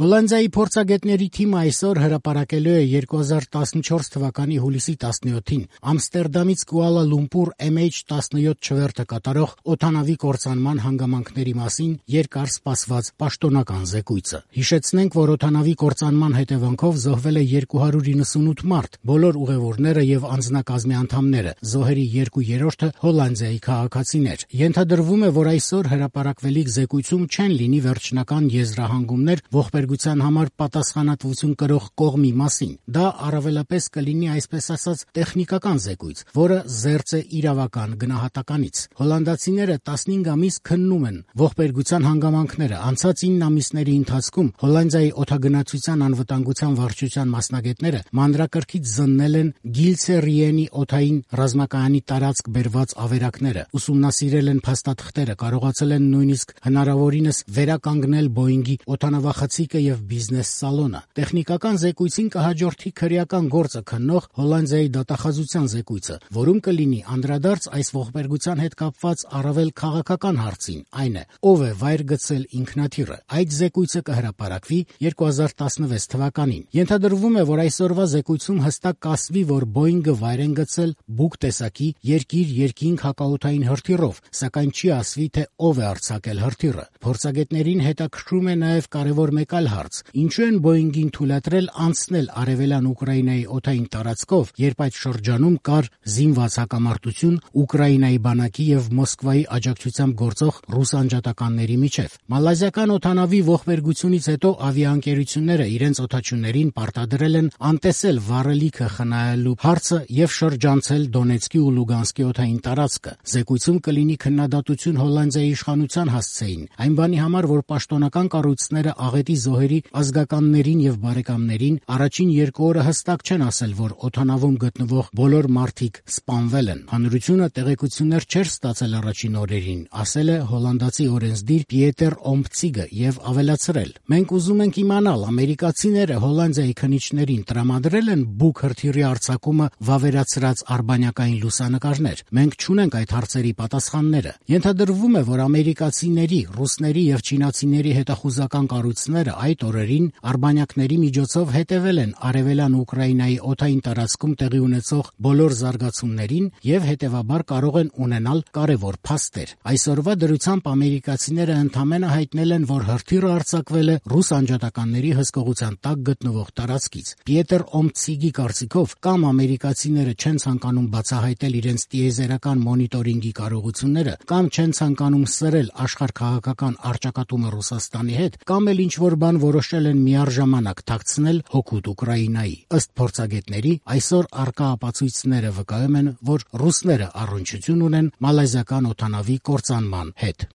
Հոլանդիայի փորձագետների թիմը այսօր հրապարակելու է 2014 թվականի հուլիսի 17-ին Ամստերդամից Կուալա Լումպուր MH17 չվերթը կատարող օդանավի կործանման հանգամանքների մասին երկար սպասված պաշտոնական զեկույցը։ Հիշեցնենք, որ օդանավի կործանման հետևանքով զոհվել է 298 մարդ, բոլոր ուղևորները եւ անձնակազմի անդամները, զոհերի 2/3-ը Հոլանդիայի քաղաքացիներ։ Ենթադրվում է, որ այսօր հրապարակվելիք զեկույցում չեն լինի վերջնական եզրահանգումներ ողբերգության համար պատասխանատվություն կրող կողմի մասին։ Դա առավելապես կլինի այսպես ասած տեխնիկական զեկույց, որը զերծ է իրավական գնահատականից։ Հոլանդացիները 15 ամիս քննում են ողբերգության հանգամանքները։ Անցած 9 ամիսների ընթացքում Հոլանդիայի օդագնացության անվտանգության վարչության մասնագետները մանրակրկիտ զննել են Գիլցերիենի օդային ռազմակայանի տարածք բերված ավերակները, ուսումնասիրել են փաստաթղթերը, կարողացել են նույնիսկ հնարավորինս վերականգնել Բոյինգի օդանավախցիկը եւ բիզնես սալոնը։ Տեխնիկական զեկույցին կհաջորդի քրեական գործը քննող Հոլանդիայի դատախազության զեկույցը, որում կլինի անդրադարձ այս ողբերգության հետ կապված առավել քաղաքական հարցին, այն է, ով է վայր գցել ինքնաթիռը։ Այդ զեկույցը կհրապարակվի 2016 թվականին։ Ենթադրվում է, որ այսօրվա զեկույցում հստակ կասվի, որ Բոյինգը վայր են գցել բուկ տեսակի երկիր-երկինք հակաօդային հրթիռով, սակայն չի ասվի, թե ով է արձակել հրթիռը։ Փորձագետներին հետաքրքրում է նաև կարևոր մեկ այլ հարց. ինչու են Բոյինգին թույլատրել անցնել արևելյան Ուկրաինայի օդային տարածքով, երբ այդ շրջանում կար զինված հակամարտություն Ուկրաինայի բանակի եւ Մոսկվայի աջակցությամբ գործող ռուս անջատականների միջև։ Մալազիական օդանավի ողբերգությունից հետո ավիաընկերությունները իրենց օդաչուներին պարտադրել են անտեսել վառելիքը խնայելու հարցը եւ շրջանցել Դոնեցկի ու Լուգանսկի օդային տարածքը։ Զեկույցում կլինի քննադատություն Հոլանդիայի իշխանության հասցեին, այն բանի համար, որ պաշտոնական կառույցները աղետի զոհերի ազգականներին եւ բարեկամներին առաջին 2 օրը հստակ չեն ասել, որ օդանավում գտնվող բոլոր մարդիկ սպանվել են։ Հանրությունը տեղեկություններ չէր ստացել առաջին օրերին, ասել է հոլանդացի օրենսդիր Պիետեր Օմփցիգը եւ ավելացրել. մենք ուզում ենք իմանալ, ամերիկացիները Հոլանդիայի քննիչներին տրամադրել են բուկ հրթիռի արձակումը վավերացրած արբանյակային լուսանկարներ։ Մենք չունենք այդ հարցերի պատասխանները։ Ենթադրվում է, որ ամերիկացիների, ռուսների եւ չինացիների հետախուզական կառույցները այդ օրերին արբանյակների միջոցով հետևել են արևելյան Ուկրաինայի օդային տարածքում տեղի ունեցող բոլոր զարգացումներին եւ հետեւաբար կարող են ունենալ կարեւոր փաստեր։ Այսօրվա դրությամբ ամերիկացիները ընդամենը հայտնել են, որ հրթիռը արձակվել է ռուս անջատականների հսկողության տակ գտնվող տարածքից։ Պիետեր Օմփցիգի կարծիքով կամ ամերիկացիները չեն ցանկանում բացահայտել իրենց տիեզերական մոնիտորինգի կարողությունները, կամ չեն ցանկանում սրել աշխարհքաղաքական առճակատումը Ռուսաստանի հետ, կամ էլ ինչ-որ բան որոշել են միառժամանակ թաքցնել հօգուտ Ուկրաինայի։ Ըստ փորձագետների, այսօր առկա ապացույցները վկայում են, որ ռուսները առնչություն ունեն մալազիական օդանավի կործանման հետ։